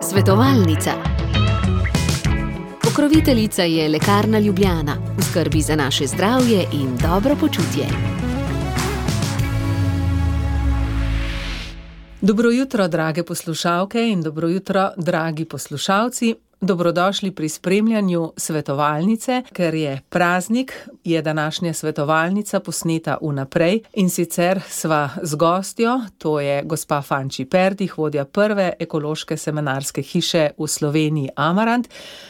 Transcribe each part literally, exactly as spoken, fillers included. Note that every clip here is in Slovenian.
Svetovalnica. Pokroviteljica je Lekarna Ljubljana, v skrbi za naše zdravje in dobro počutje. Dobro jutro, drage poslušalke in dobro jutro, dragi poslušalci. Dobrodošli pri spremljanju svetovalnice, ker je praznik, je današnja svetovalnica posneta vnaprej in sicer sva z gostjo, to je gospa Fanči Perdih, vodja prve ekološke semenarske hiše v Sloveniji Amarant,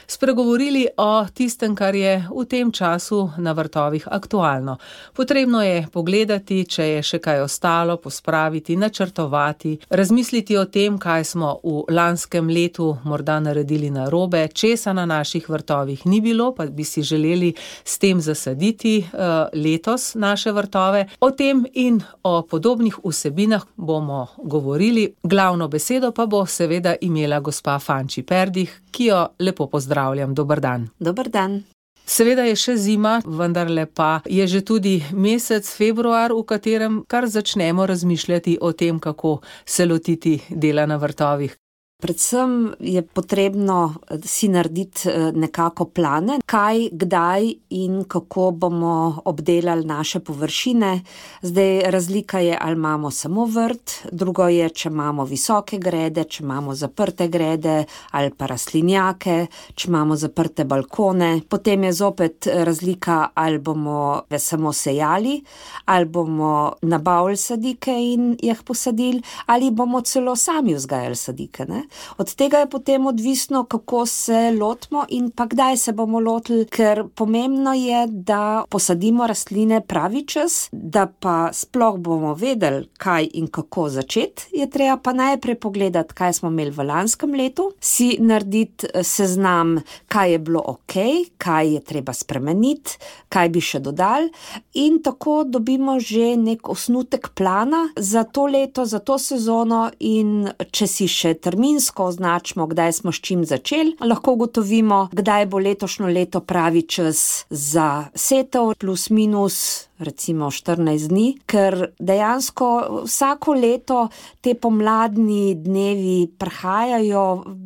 spregovorili o tistem, kar je v tem času na vrtovih aktualno. Potrebno je pogledati, če je še kaj ostalo, pospraviti, načrtovati, razmisliti o tem, kaj smo v lanskem letu morda naredili narobe, česa na naših vrtovih ni bilo, pa bi si želeli s tem zasaditi uh, letos naše vrtove. O tem in o podobnih vsebinah bomo govorili. Glavno besedo pa bo seveda imela gospa Fanči Perdih, ki jo lepo pozdravljam. Dober dan. Dober dan. Seveda je še zima, vendarle pa je že tudi mesec februar, v katerem kar začnemo razmišljati o tem, kako se lotiti dela na vrtovih. Predvsem je potrebno si narediti nekako plane, kaj, kdaj in kako bomo obdelali naše površine. Zdaj razlika je, ali imamo samo vrt, drugo je, če imamo visoke grede, če imamo zaprte grede ali pa rastlinjake, če imamo zaprte balkone. Potem je zopet razlika, ali bomo samo sejali, ali bomo nabavili sadike in jih posadili, ali bomo celo sami vzgajali sadike, ne? Od tega je potem odvisno, kako se lotimo in pa kdaj se bomo lotili, ker pomembno je, da posadimo rastline pravi čas, da pa sploh bomo vedeli, kaj in kako začeti. Je treba pa najprej pogledati, kaj smo imeli v lanskem letu, si narediti seznam, kaj je bilo ok, kaj je treba spremeniti, kaj bi še dodali in tako dobimo že nek osnutek plana za to leto, za to sezono in če si še terminsko označimo, kdaj smo s čim začeli, lahko ugotovimo, kdaj bo letošnjo leto pravi čas za setev, plus minus recimo štirinajst dni, ker dejansko vsako leto te pomladni dnevi prihajajo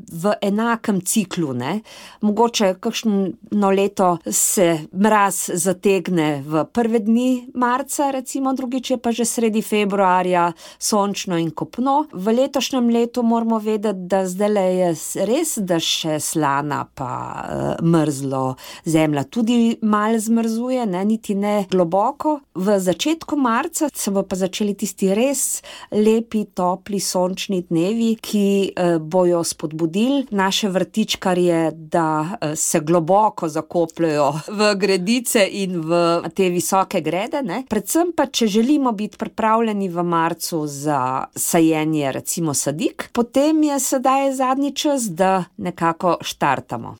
v enakem ciklu, ne. Mogoče kakšno leto se mraz zategne v prve dni marca, recimo drugič je pa že sredi februarja sončno in kopno. V letošnjem letu moramo vedeti, da zdajle je res, da še slana pa uh, mrzlo zemlja tudi malo zmrzuje, ne, niti ne globoko. V začetku marca se bo pa začeli tisti res lepi, topli, sončni dnevi, ki uh, bojo spodbudili naše vrtičkarje, da uh, se globoko zakopljajo v gredice in v te visoke grede, ne. Predvsem pa, če želimo biti pripravljeni v marcu za sajenje recimo sadik, potem je sedaj zadnji čas, da nekako štartamo.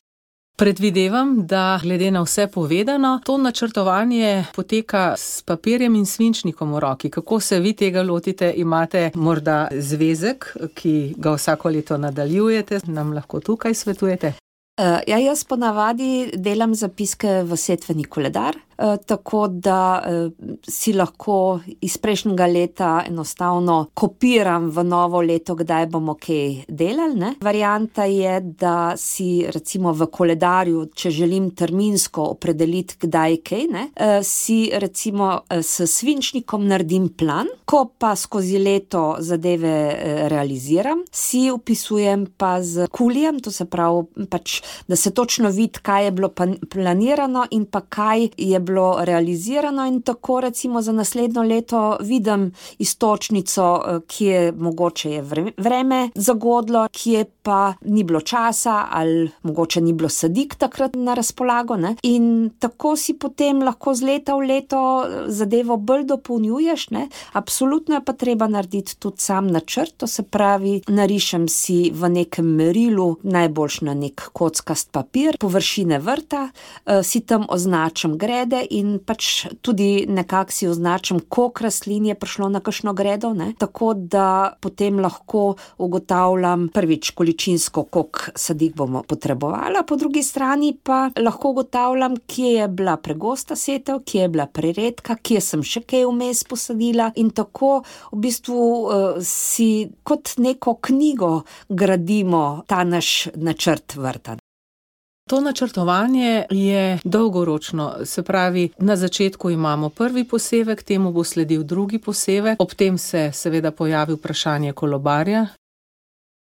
Predvidevam, da glede na vse povedano, to načrtovanje poteka s papirjem in svinčnikom v roki. Kako se vi tega lotite? Imate morda zvezek, ki ga vsako leto nadaljujete? Nam lahko tukaj svetujete? Uh, ja, jaz ponavadi delam zapiske v setveni koledar, uh, tako da uh, si lahko iz prejšnjega leta enostavno kopiram v novo leto, kdaj bomo kaj delali, ne. Varianta je, da si recimo v koledarju, če želim terminsko opredeliti, kdaj kaj, ne, uh, si recimo uh, s svinčnikom naredim plan, ko pa skozi leto zadeve uh, realiziram, si upisujem pa z kulijem, to se pravi pač da se točno vidi, kaj je bilo planirano in pa kaj je bilo realizirano in tako recimo za naslednjo leto vidim iztočnico, kje mogoče je vreme zagodlo, kje pa ni bilo časa ali mogoče ni bilo sadik takrat na razpolago, ne. In tako si potem lahko z leta v leto zadevo bolj dopolnjuješ, ne. Absolutno je pa treba narediti tudi sam načrt, to se pravi, narišem si v nekem merilu, najboljš na nek kockast papir, površine vrta, si tam označim grede, pride in pač tudi nekako si označim, koliko rastlin je prišlo na kakšno gredo, ne? Tako da potem lahko ugotavljam prvič količinsko, koliko sadik bomo potrebovali, po drugi strani pa lahko ugotavljam, kje je bila pregosta setev, kje je bila preredka, kje sem še kaj vmes posadila in tako v bistvu uh, si kot neko knjigo gradimo ta naš načrt vrta. To načrtovanje je dolgoročno, se pravi, na začetku imamo prvi posevek, temu bo sledil drugi posevek, ob tem se seveda pojavi vprašanje kolobarja.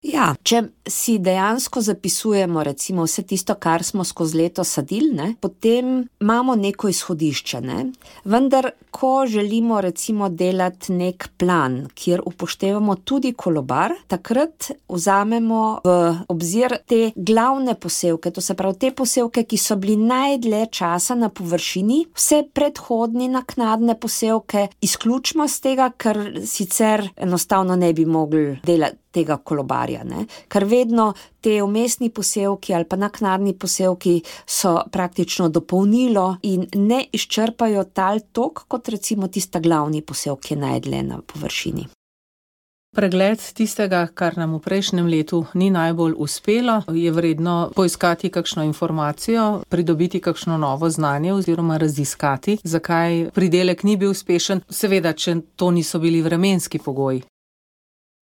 Ja, če si dejansko zapisujemo recimo vse tisto, kar smo skozi leto sadili, ne, potem imamo neko izhodišče, ne. Vendar, ko želimo recimo delati nek plan, kjer upoštevamo tudi kolobar, takrat vzamemo v obzir te glavne posevke, to se pravi te posevke, ki so bili najdlje časa na površini, vse predhodni naknadne posevke izključimo z tega, ker sicer enostavno ne bi mogli delati tega kolobarja, ne. Ker vedno te vmesni posevki ali pa naknadni posevki so praktično dopolnilo in ne izčrpajo tal tok, kot recimo tista glavni posevki najdlje na površini. Pregled tistega, kar nam v prejšnjem letu ni najbolj uspelo, je vredno poiskati kakšno informacijo, pridobiti kakšno novo znanje oziroma raziskati, zakaj pridelek ni bil uspešen, seveda, če to niso bili vremenski pogoji.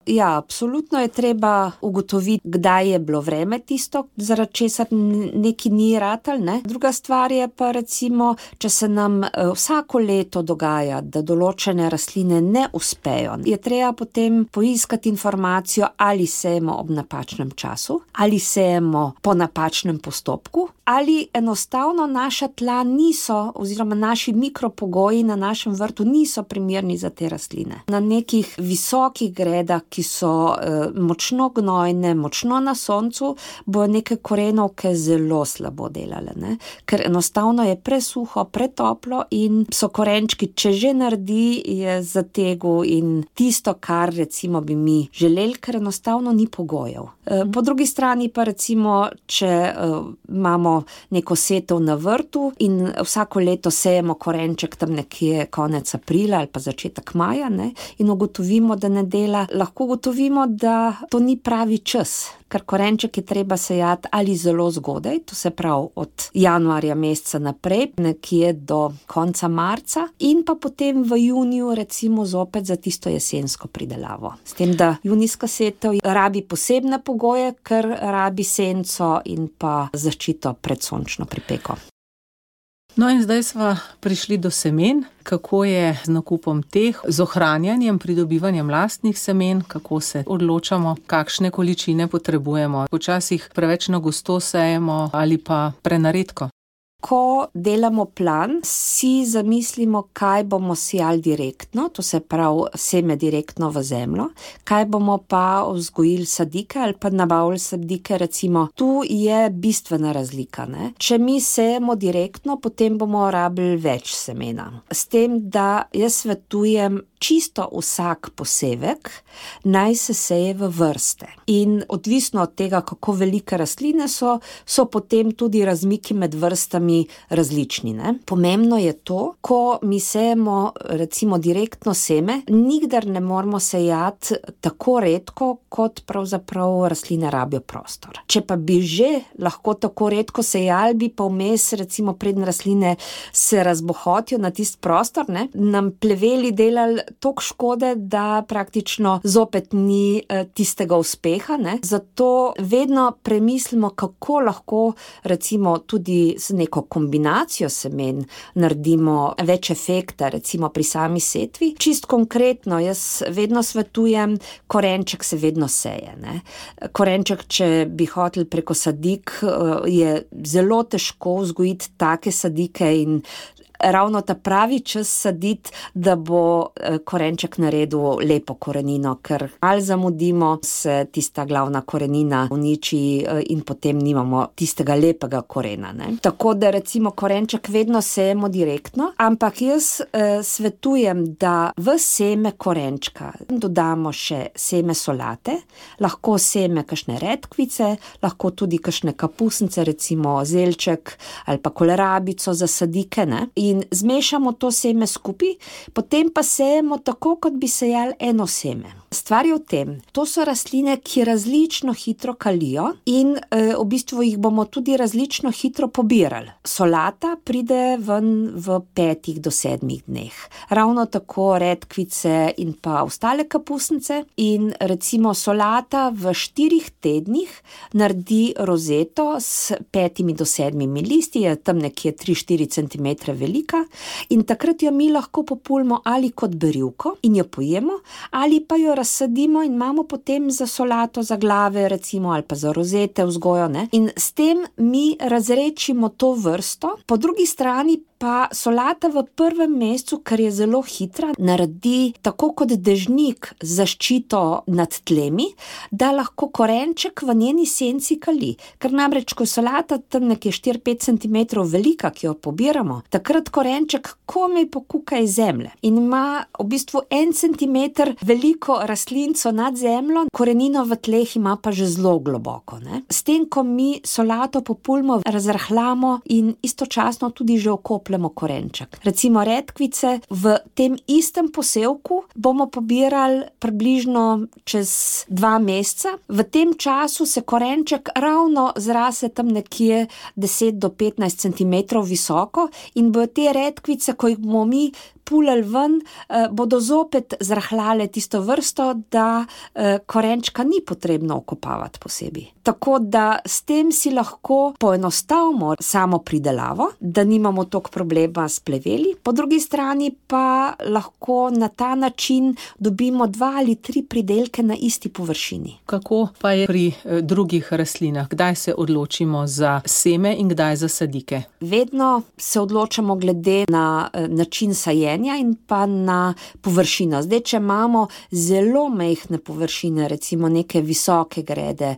Ja, absolutno je treba ugotoviti, kdaj je bilo vreme tisto, zaradi česar neki ni ratal, ne. Druga stvar je pa recimo, če se nam vsako leto dogaja, da določene rastline ne uspejo, je treba potem poiskati informacijo, ali sejemo ob napačnem času, ali sejemo po napačnem postopku, ali enostavno naša tla niso, oziroma naši mikropogoji na našem vrtu niso primerni za te rastline. Na nekih visokih gredah, ki so eh, močno gnojne, močno na soncu, bojo neke korenovke zelo slabo delale, ne? Ker enostavno je presuho, pretoplo in so korenčki, če že naredi, je zategel in tisto, kar recimo bi mi želeli, ker enostavno ni pogojev. Eh, po drugi strani pa recimo, če eh, imamo neko setev na vrtu in vsako leto sejemo korenček tam nekje konec aprila ali pa začetek maja, ne, in ugotovimo, da ne dela, lahko ugotovimo, da to ni pravi čas, ker korenček je treba sejati ali zelo zgodaj, to se pravi od januarja meseca naprej, nekje do konca marca, in pa potem v juniju recimo zopet za tisto jesensko pridelavo. S tem, da junijska setev rabi posebne pogoje, ker rabi senco in pa zaščito pred sončno pripeko. No in zdaj sva prišli do semen. Kako je z nakupom teh, z ohranjanjem, pridobivanjem lastnih semen, kako se odločamo, kakšne količine potrebujemo. Počasih preveč na gosto sejemo ali pa prenaredko. Ko delamo plan, si zamislimo, kaj bomo sejali direktno, to se pravi seme direktno v zemljo, kaj bomo pa vzgojili sadike ali pa nabavili sadike, recimo. Tu je bistvena razlika, ne. Če mi sejemo direktno, potem bomo rabili več semena. S tem, da jaz svetujem čisto vsak posevek naj se seje v vrste. In odvisno od tega, kako velike rastline so, so potem tudi razmiki med vrstami različni, ne. Pomembno je to, ko mi sejemo recimo direktno seme, nikdar ne moramo sejati tako redko, kot pravzaprav rastline rabijo prostor. Če pa bi že lahko tako redko sejali, bi pa vmes recimo preden rastline se razbohotijo na tisti prostor, ne, nam pleveli delali toliko škode, da praktično zopet ni tistega uspeha, ne. Zato vedno premislimo, kako lahko recimo tudi z neko kombinacijo semen naredimo več efekta, recimo pri sami setvi. Čist konkretno, jaz vedno svetujem, korenček se vedno seje, ne. Korenček, če bi hoteli preko sadik, je zelo težko vzgojiti take sadike in ravno ta pravi čas saditi, da bo korenček naredil lepo korenino, ker ali zamudimo, se tista glavna korenina uniči in potem nimamo tistega lepega korena, ne. Tako da recimo korenček vedno sejemo direktno, ampak jaz eh, svetujem, da v seme korenčka dodamo še seme solate, lahko seme kakšne redkvice, lahko tudi kakšne kapusnice, recimo zelček ali pa kolerabico za sadike, ne. in zmešamo to seme skupaj, potem pa sejemo tako, kot bi sejali eno seme. Stvar je v tem, to so rastline, ki različno hitro kalijo in e, v bistvu jih bomo tudi različno hitro pobirali. Solata pride ven v petih do sedmih dneh. Ravno tako redkvice in pa ostale kapusnice in recimo solata v štirih tednih naredi rozeto s petimi do sedmimi listi, je tam nekje tri do štiri centimetre velika in takrat jo mi lahko populimo ali kot berivko in jo pojemo, ali pa jo razsadimo in imamo potem za solato, za glave recimo, ali pa za rozete vzgojo, ne? In s tem mi razrečimo to vrsto, po drugi strani pa solata v prvem mesecu, ker je zelo hitra, naredi tako kot dežnik zaščito nad tlemi, da lahko korenček v njeni senci kali. Ker namreč, ko je solata tam nekje štiri do pet centimetrov velika, ki jo pobiramo, takrat korenček komaj pokuka iz zemlje in ima v bistvu en centimeter veliko rastlinco nad zemljo, korenino v tleh ima pa že zelo globoko, ne. S tem, ko mi solato populimo, razrahljamo in istočasno tudi že okopljamo korenček. Recimo redkvice v tem istem posevku bomo pobirali približno čez dva meseca. V tem času se korenček ravno zrase tam nekje deset do petnajst centimetrov visoko in bojo te redkvice, ko jih bomo mi pulali ven, eh, bodo zopet zrahljale tisto vrsto, da eh, korenčka ni potrebno okopavati posebej. Tako da s tem si lahko poenostavimo samo pridelavo, da nimamo toliko problema s pleveli, po drugi strani pa lahko na ta način dobimo dva ali tri pridelke na isti površini. Kako pa je pri eh, drugih rastlinah? Kdaj se odločimo za seme in kdaj za sadike? Vedno se odločamo glede na eh, način sajenja in pa na površino. Zdaj, če imamo zelo majhne površine, recimo neke visoke grede,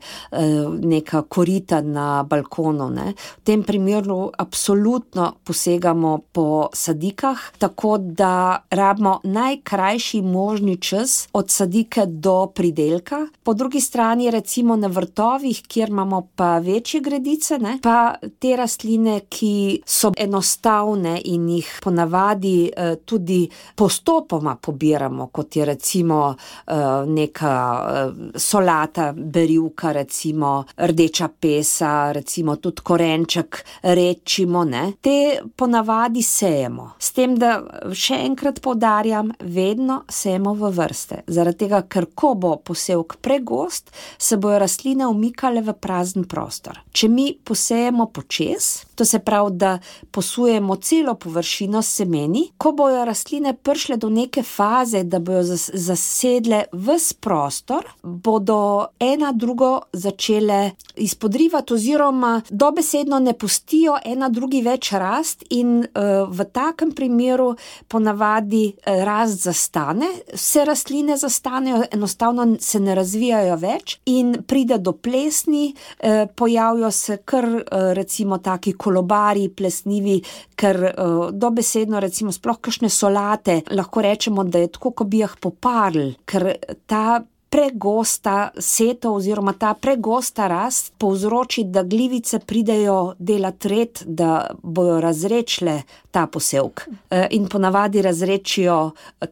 neka korita na balkonu, ne, v tem primeru absolutno posegamo po sadikah, tako da rabimo najkrajši možni čas od sadike do pridelka. Po drugi strani recimo na vrtovih, kjer imamo pa večje gredice, ne, pa te rastline, ki so enostavne in jih ponavadi eh, tudi postopoma pobiramo, kot je recimo uh, neka uh, solata, berivka, recimo rdeča pesa, recimo tudi korenček rečimo, ne. Te ponavadi sejemo. S tem, da še enkrat poudarjam, vedno sejemo v vrste. Zaradi tega, ker ko bo posevek pregost, se bojo rastline umikale v prazen prostor. Če mi posejemo počez, to se pravi, da posujemo celo površino s semeni, ko bojo rastline prišle do neke faze, da bojo zas, zasedle ves prostor, bodo ena drugo začele izpodrivati oziroma dobesedno ne pustijo ena drugi več rast in uh, v takem primeru ponavadi uh, rast zastane, vse rastline zastanejo, enostavno se ne razvijajo več in pride do plesni, uh, pojavijo se kar uh, recimo taki kolobari plesnivi, ker uh, dobesedno recimo sploh kakšne solate, lahko rečemo, da je tako, ko bi jih poparili, ker ta pregosta setev oziroma ta pregosta rast povzroči, da glivice pridejo delat red, da bojo razrečile ta posevek. In ponavadi razrečijo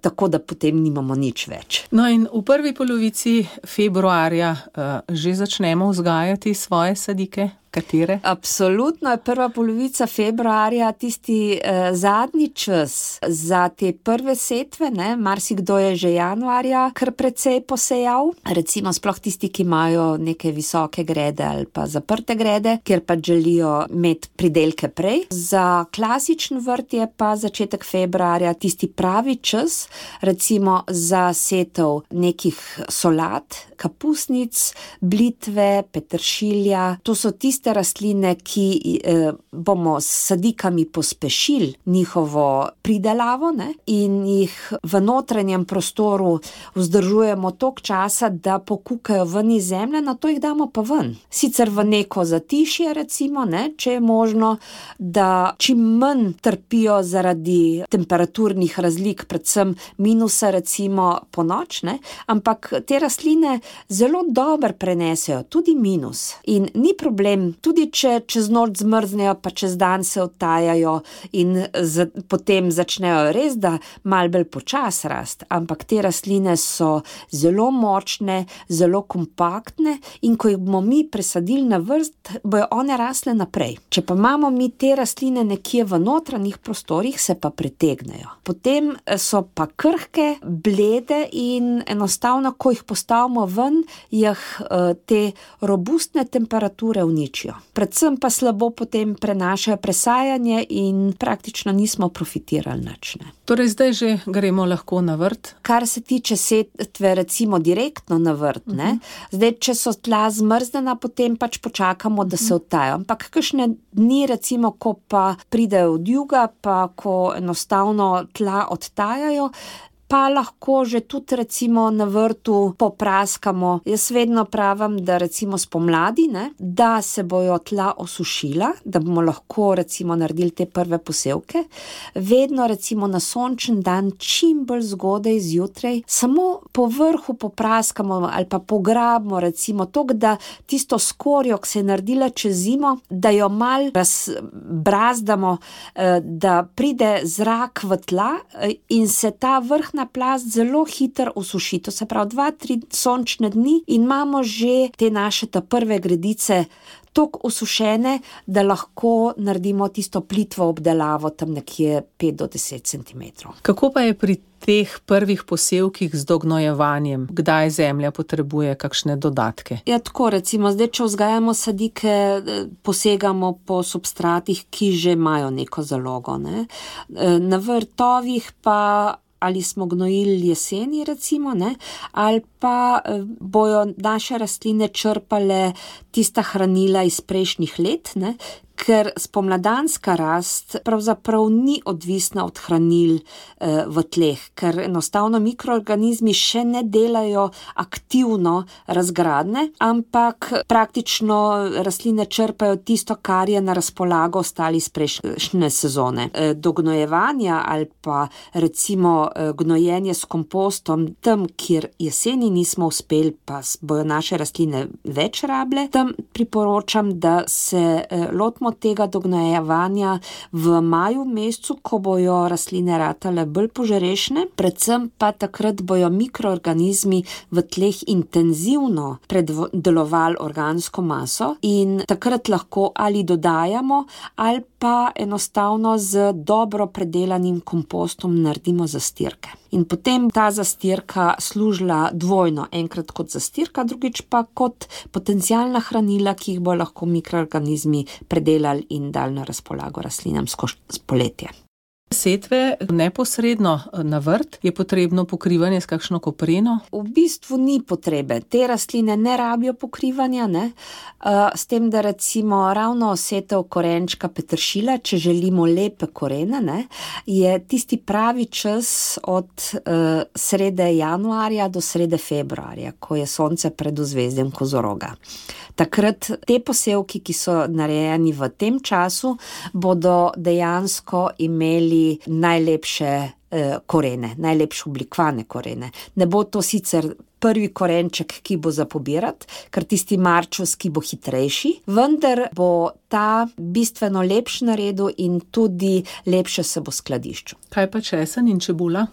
tako, da potem nimamo nič več. No in v prvi polovici februarja uh, že začnemo vzgajati svoje sadike? Katere? Absolutno je prva polovica februarja tisti eh, zadnji čas za te prve setve, ne, marsikdo je že januarja kar precej posejal, recimo sploh tisti, ki imajo neke visoke grede ali pa zaprte grede, kjer pa želijo imeti pridelke prej. Za klasičen vrt je pa začetek februarja tisti pravi čas, recimo za setev nekih solat, kapusnic, blitve, peteršilja, to so tisti tiste rastline, ki eh, bomo s sadikami pospešili njihovo pridelavo, ne, in jih v notranjem prostoru vzdržujemo toliko časa, da pokukajo ven iz zemlje, na to jih damo pa ven. Sicer v neko zatišje, recimo, ne, če je možno, da čim manj trpijo zaradi temperaturnih razlik, predvsem minusa, recimo po noč, ne, ampak te rastline zelo dobro prenesejo tudi minus in ni problem, in tudi če čez noč zmrznejo, pa čez dan se odtajajo in z, potem začnejo res, da malo bolj počas rast, ampak te rastline so zelo močne, zelo kompaktne in ko jih bomo mi presadili na vrst, bojo one rasle naprej. Če pa imamo mi te rastline nekje v notranjih prostorih, se pa pretegnejo. Potem so pa krhke, blede in enostavno, ko jih postavimo ven, jih te robustne temperature uničijo. Predvsem pa slabo potem prenašajo presajanje in praktično nismo profitirali nič. Ne. Torej zdaj že gremo lahko na vrt? Kar se tiče setve recimo direktno na vrt, ne. Zdaj, če so tla zmrznjena, potem pač počakamo, da se odtajajo. Ampak kakšne dni recimo, ko pa pridejo od juga, pa ko enostavno tla odtajajo, pa lahko že tudi recimo na vrtu popraskamo. Jaz vedno pravim, da recimo spomladi, ne, da se bojo tla osušila, da bomo lahko recimo naredili te prve posevke. Vedno recimo na sončen dan, čim bolj zgodaj zjutraj, samo po vrhu popraskamo ali pa pograbimo recimo toliko, da tisto skorjo, ki se je naredila čez zimo, da jo mal razbrazdamo, da pride zrak v tla in se ta vrh na plast zelo hitro osuši. To se pravi dva, tri sončne dni in imamo že te naše ta prve gredice toliko osušene, da lahko naredimo tisto plitvo obdelavo tam nekje pet do deset centimetrov. Kako pa je pri teh prvih posevkih z dognojevanjem? Kdaj zemlja potrebuje kakšne dodatke? Ja, tako recimo, zdaj, če vzgajamo sadike, posegamo po substratih, ki že imajo neko zalogo, ne. Na vrtovih pa ali smo gnojili jeseni recimo, ne, ali pa bojo naše rastline črpale tista hranila iz prejšnjih let, ne, ker spomladanska rast pravzaprav ni odvisna od hranil eh, v tleh, ker enostavno mikroorganizmi še ne delajo aktivno razgradne, ampak praktično rastline črpajo tisto, kar je na razpolago ostali iz prejšnje sezone. Eh, do gnojevanja ali pa recimo eh, gnojenje s kompostom, tam, kjer jeseni nismo uspeli, pa bojo naše rastline več rable, tam priporočam, da se eh, lotimo tega dognojevanja v maju mesecu, ko bojo rastline ratale bolj požrešne, predvsem pa takrat bojo mikroorganizmi v tleh intenzivno predelovali organsko maso in takrat lahko ali dodajamo ali pa enostavno z dobro predelanim kompostom naredimo zastirke. In potem ta zastirka služila dvojno, enkrat kot zastirka, drugič pa kot potencialna hranila, ki jih bo lahko mikroorganizmi predelali in dali na razpolago rastlinam skozi poletje. Setve neposredno na vrt je potrebno pokrivanje s kakšno kopreno? V bistvu ni potrebe. Te rastline ne rabijo pokrivanja, ne. S tem, da recimo ravno setev korenčka peteršilja, če želimo lepe korene, ne, je tisti pravi čas od uh, srede januarja do srede februarja, ko je sonce pred ozvezdjem kozoroga. Takrat te posevki, ki so narejeni v tem času, bodo dejansko imeli najlepše eh, korene, najlepše oblikovane korene. Ne bo to sicer prvi korenček, ki bo za pobirati, ker tisti marčovski bo hitrejši, vendar bo ta bistveno lepši naredil in tudi lepše se bo skladiščil. Kaj pa česen in čebula?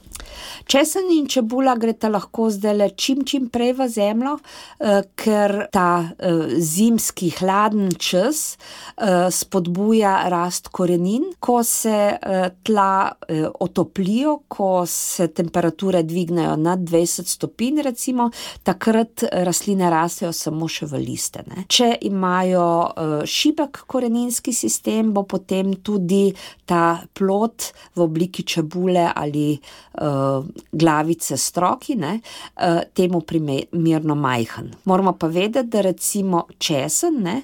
Česen in čebula greta lahko zdajle čim čim prej v zemljo, eh, ker ta eh, zimski hladen čas eh, spodbuja rast korenin. Ko se eh, tla eh, otoplijo, ko se temperature dvignejo nad dvajset stopinj recimo, takrat rastline rastejo samo še v liste. Ne. Če imajo uh, šibek koreninski sistem, bo potem tudi ta plod v obliki čebule ali uh, glavice stroki, ne, uh, temu primerno majhen. Moramo pa vedeti, da recimo česen, ne,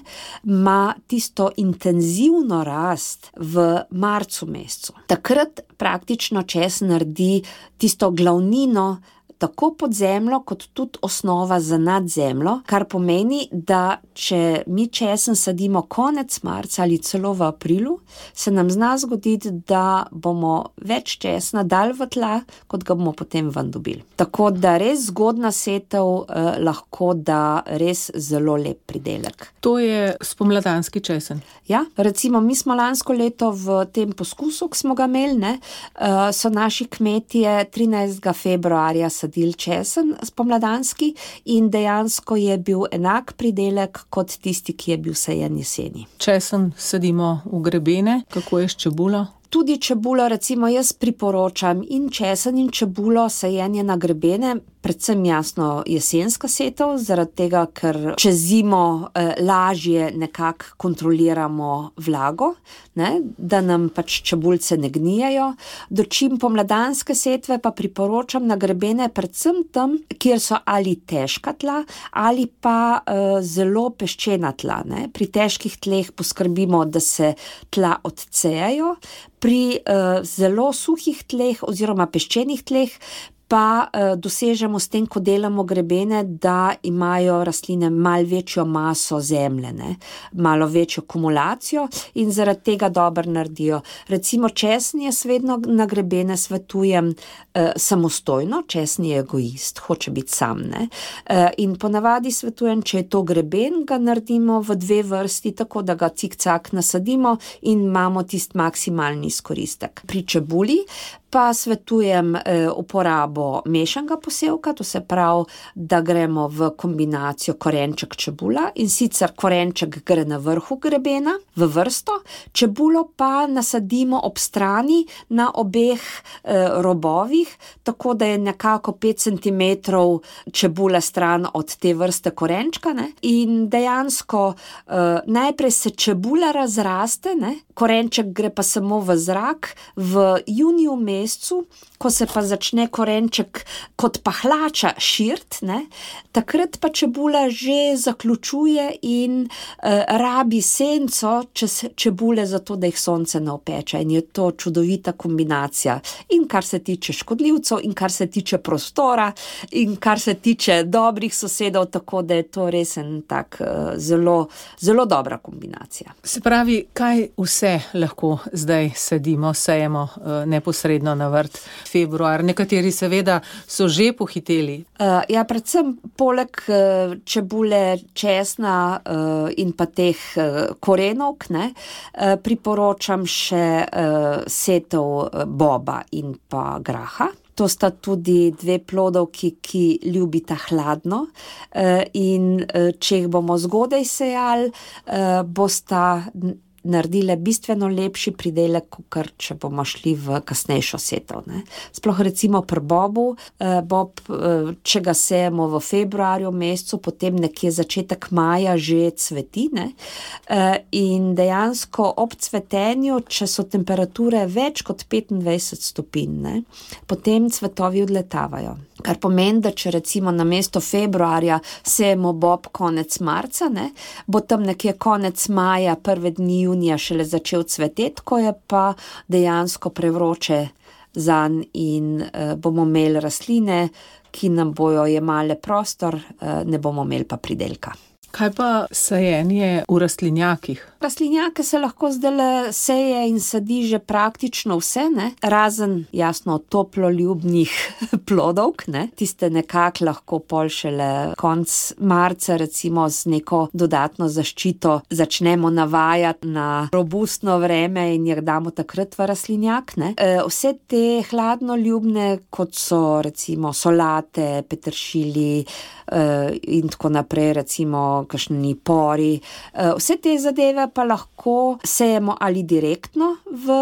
ima tisto intenzivno rast v marcu mesecu. Takrat praktično česen naredi tisto glavnino tako pod zemljo, kot tudi osnova za nadzemljo, kar pomeni, da če mi česen sadimo konec marca ali celo v aprilu, se nam zna zgoditi, da bomo več česna dali v tla, kot ga bomo potem ven dobili. Tako da res zgodna setev eh, lahko da res zelo lep pridelek. To je spomladanski česen. Ja, recimo mi smo lansko leto v tem poskusu, ki smo ga imeli, ne, uh, so naši kmetje trinajstega februarja sadili česen spomladanski in dejansko je bil enak pridelek kot tisti, ki je bil sajen jeseni. Česen sadimo v grebene, kako je s čebulo? Tudi čebulo, recimo jaz priporočam in česen in čebulo sajenje na grebene, predvsem jasno jesenska setev, zaradi tega, ker čez zimo eh, lažje nekako kontroliramo vlago, ne, da nam pač čebulce ne gnijajo. Dočim pomladanske setve pa priporočam na grebene predvsem tam, kjer so ali težka tla ali pa eh, zelo peščena tla. Ne. Pri težkih tleh poskrbimo, da se tla odcejajo, pri uh, zelo suhih tleh oziroma peščenih tleh pa uh, dosežemo s tem, ko delamo grebene, da imajo rastline malo večjo maso zemlje, ne? Malo večjo kumulacijo in zaradi tega dobro naredijo. Recimo česen jaz vedno na grebene svetujem uh, samostojno, česen je egoist, hoče biti sam, ne? Uh, in ponavadi svetujem, če je to greben, ga naredimo v dve vrsti, tako da ga cik-cak nasadimo in imamo tist maksimalni izkoristek. Pri čebuli pa svetujem eh, uporabo mešanega posevka, to se pravi, da gremo v kombinacijo korenček čebula in sicer korenček gre na vrhu grebena v vrsto, čebulo pa nasadimo ob strani na obeh eh, robovih, tako da je nekako pet centimetrov čebula stran od te vrste korenčka, ne? In dejansko eh, najprej se čebula razraste, ne? Korenček gre pa samo v zrak, v juniju mesecu, ko se pa začne korenček kot pahlača širt, ne, takrat pa čebula že zaključuje in uh, rabi senco čez čebule zato, da jih sonce ne opeče. In je to čudovita kombinacija. In kar se tiče škodljivcev, in kar se tiče prostora, in kar se tiče dobrih sosedov, tako da je to res en tak uh, zelo, zelo dobra kombinacija. Se pravi, kaj vse lahko zdaj sadimo, sejemo uh, neposredno na vrt februar? Nekateri seveda so že pohiteli. Uh, ja, predvsem poleg uh, čebule, česna uh, in pa teh uh, korenovk, ne, uh, priporočam še uh, setev uh, boba in pa graha. To sta tudi dve plodovki, ki ljubita hladno uh, in uh, če jih bomo zgodaj sejali, uh, bosta naredile bistveno lepši pridelek, kot če bomo šli v kasnejšo setev, ne. Sploh recimo pri bobu, eh, bob, eh, če ga sejemo v februarju mesecu, potem nekje začetek maja že cveti, ne. Eh, in dejansko ob cvetenju, če so temperature več kot petindvajset stopinj, ne, potem cvetovi odletavajo. Kar pomeni, da če recimo na mesto februarja sejemo bob konec marca, ne, bo tam nekje konec maja, prve dni junija šele začel cveteti, ko je pa dejansko prevroče zanj in uh, bomo imeli rastline, ki nam bojo jemale prostor, uh, ne bomo imeli pa pridelka. Kaj pa sajenje v rastlinjakih? Rastlinjake se lahko zdaj seje in sadi že praktično vse, ne? Razen jasno toploljubnih plodovk, ne? Tiste nekako lahko pol šele konc marca recimo z neko dodatno zaščito začnemo navajati na robustno vreme in jih damo takrat v rastlinjak, ne? E, vse te hladnoljubne, kot so recimo solate, peteršilji e, in tako naprej, recimo kakšni pori, e, vse te zadeve pa lahko sejemo ali direktno v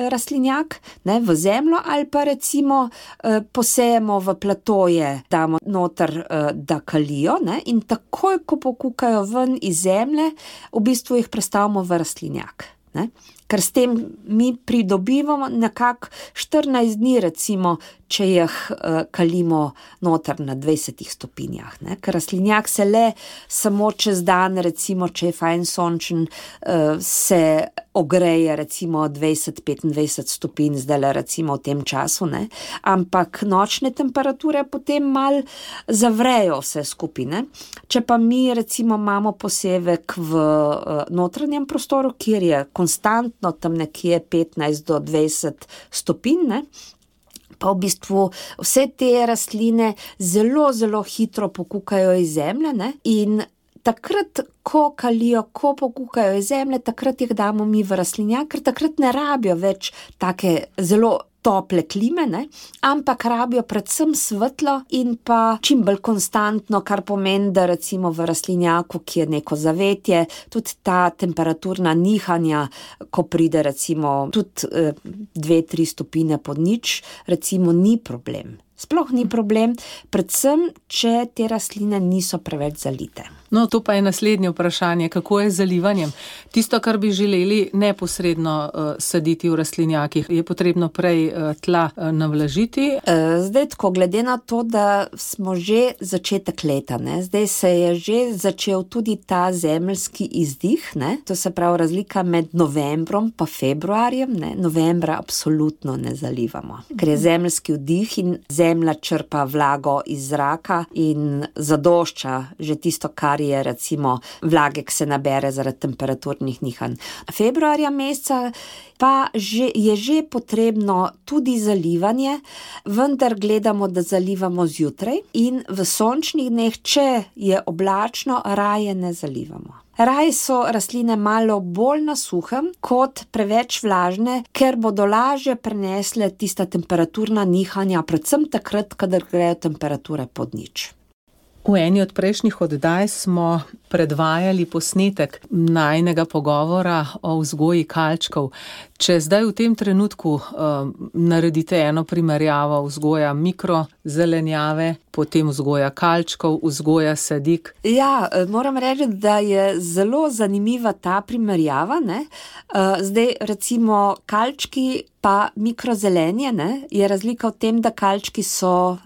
rastlinjak, ne, v zemljo, ali pa recimo eh, posejemo v platoje, damo noter, eh, da kalijo, ne, in takoj, ko pokukajo ven iz zemlje, v bistvu jih prestavimo v rastlinjak, ne. ker s tem mi pridobivamo nekako štirinajst dni, recimo, če jih uh, kalimo noter na dvajsetih stopinjah, ne? Ker rastlinjak se le samo čez dan, recimo, če je fajn sončen, uh, se ogreje recimo dvajset do petindvajset stopinj, zdaj recimo v tem času, ne? Ampak nočne temperature potem mal zavrejo vse skupine. Če pa mi recimo imamo posevek v uh, notranjem prostoru, kjer je konstantno tam nekje petnajst do dvajset stopinj, ne? Pa v bistvu vse te rastline zelo, zelo hitro pokukajo iz zemlje, ne? In takrat, ko kalijo, ko pokukajo iz zemlje, takrat jih damo mi v rastlinjak, ker takrat ne rabijo več take zelo tople klime, ne? Ampak rabijo predvsem svetlo in pa čim bolj konstantno, kar pomeni, da recimo v rastlinjaku, ki je neko zavetje, tudi ta temperaturna nihanja, ko pride recimo tudi eh, dve, tri stopine pod nič, recimo ni problem. Sploh ni problem, predvsem, če te rastline niso preveč zalite. No, to pa je naslednje vprašanje, kako je z zalivanjem. Tisto, kar bi želeli neposredno uh, saditi v rastlinjakih, je potrebno prej uh, tla uh, navlažiti. Zdaj tako, glede na to, da smo že začetek leta, ne? Zdaj se je že začel tudi ta zemeljski izdih, ne? To se pravi razlika med novembrom pa februarjem, ne? Novembra absolutno ne zalivamo, ker je zemeljski vdih in zemlja črpa vlago iz zraka in zadošča že tisto, kar je recimo vlage, ki se nabere zaradi temperaturnih nihanj. Februarja meseca pa že, je že potrebno tudi zalivanje, vendar gledamo, da zalivamo zjutraj in v sončnih dneh, če je oblačno, raje ne zalivamo. Raje so rastline malo bolj na suhem kot preveč vlažne, ker bodo lažje prenesle tista temperaturna nihanja, predvsem takrat, kadar grejo temperature pod nič. V eni od prejšnjih oddaj smo predvajali posnetek najinega pogovora o vzgoji kalčkov. Če zdaj v tem trenutku uh, naredite eno primerjavo vzgoja mikrozelenjave, potem vzgoja kalčkov, vzgoja sadik. Ja, moram reči, da je zelo zanimiva ta primerjava, ne? Uh, zdaj recimo kalčki pa mikrozelenje, ne? Je razlika v tem, da kalčki so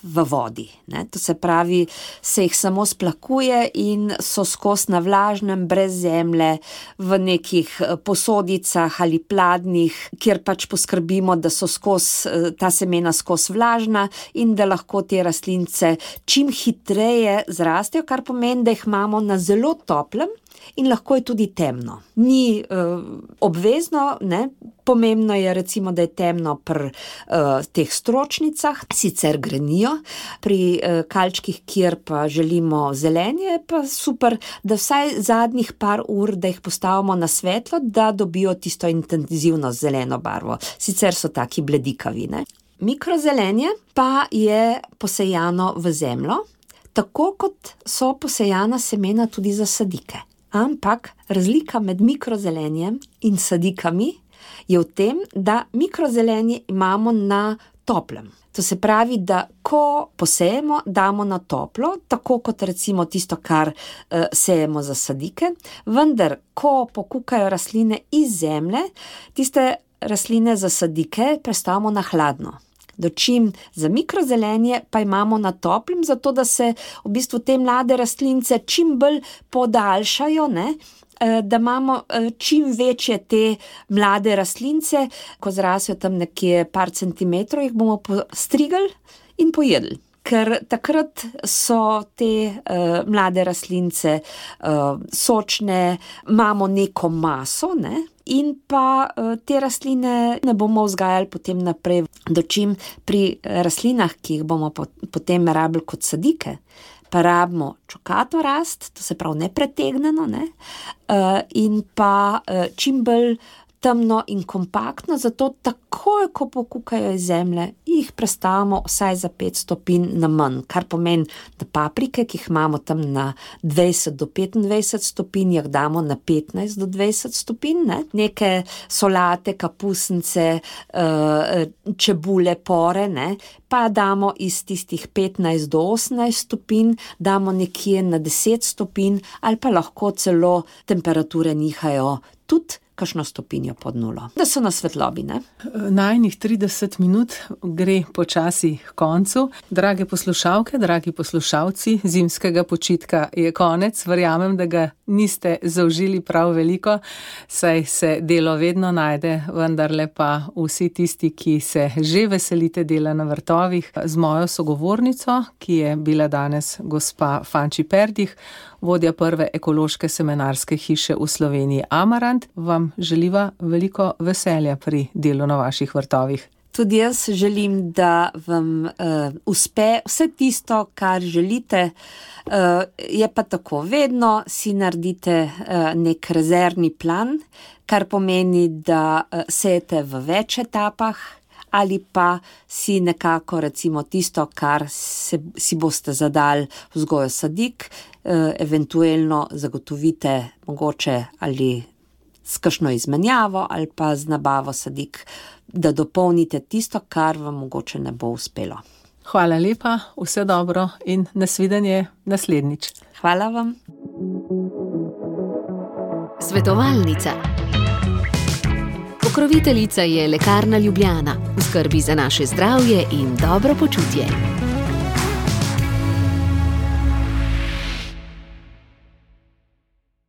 v vodi, ne? To se pravi, se jih samo splakuje in so skos na vlažnem, brez zemlje, v nekih posodicah ali pladnih, kjer pač poskrbimo, da so skos, ta semena skos vlažna in da lahko te rastlince čim hitreje zrastejo, kar pomeni, da jih imamo na zelo toplem in lahko je tudi temno. Ni uh, obvezno, ne? Pomembno je recimo, da je temno pri uh, teh stročnicah, sicer grenijo, pri uh, kalčkih, kjer pa želimo zelenje, pa super, da vsaj zadnjih par ur, da jih postavimo na svetlo, da dobijo tisto intenzivno zeleno barvo. Sicer so taki bledikavi, ne? Mikrozelenje pa je posejano v zemljo, tako kot so posejana semena tudi za sadike. Ampak razlika med mikrozelenjem in sadikami je v tem, da mikrozelenje imamo na toplem. To se pravi, da ko posejemo, damo na toplo, tako kot recimo tisto, kar uh, sejemo za sadike, vendar, ko pokukajo rastline iz zemlje, tiste rastline za sadike prestavimo na hladno. Dočim za mikrozelenje pa imamo na toplem, zato da se v bistvu te mlade rastlince čim bolj podaljšajo, ne? Da imamo čim večje te mlade rastlince, ko zrasejo tam nekje par centimetrov, jih bomo postrigali in pojedli. Ker takrat so te uh, mlade rastlince uh, sočne, imamo neko maso, ne? In pa uh, te rastline ne bomo vzgajali potem naprej, dočim pri rastlinah, ki jih bomo po, potem rabili kot sadike, pa rabimo čokato rast, to se pravi nepretegneno, ne? Uh, in pa uh, čim bolj temno in kompaktno, zato takoj, ko pokukajo iz zemlje, jih prestavimo vsaj za pet stopinj na manj, kar pomeni, da paprike, ki jih imamo tam na dvajset do petindvajset stopinj, jih damo na petnajst do dvajset stopinj, ne? Neke solate, kapusnice, čebule, pore, ne? Pa damo iz tistih petnajst do osemnajst stopinj, damo nekje na deset stopinj, ali pa lahko celo temperature nihajo tudi kakšno stopinjo pod nulo. Da so na svetlobi, ne? Najnih trideset minut gre počasi k koncu. Drage poslušalke, dragi poslušalci, zimskega počitka je konec. Verjamem, da ga niste zaužili prav veliko, saj se delo vedno najde, vendarle pa vsi tisti, ki se že veselite dela na vrtovih, z mojo sogovornico, ki je bila danes gospa Fanči Perdih, vodja prve ekološke semenarske hiše v Sloveniji Amarant, vam želiva veliko veselja pri delu na vaših vrtovih. Tudi jaz želim, da vam uh, uspe vse tisto, kar želite. Uh, je pa tako, vedno si naredite uh, nek rezervni plan, kar pomeni, da uh, sejete v več etapah, ali pa si nekako recimo tisto, kar se, si boste zadali vzgojo sadik, uh, eventuelno zagotovite mogoče ali s kakšno izmenjavo ali pa z nabavo sadik, da dopolnite tisto, kar vam mogoče ne bo uspelo. Hvala lepa, vse dobro in nasvidenje naslednjič. Hvala vam. Svetovalnica. Pokroviteljica je Lekarna Ljubljana, v skrbi za naše zdravje in dobro počutje.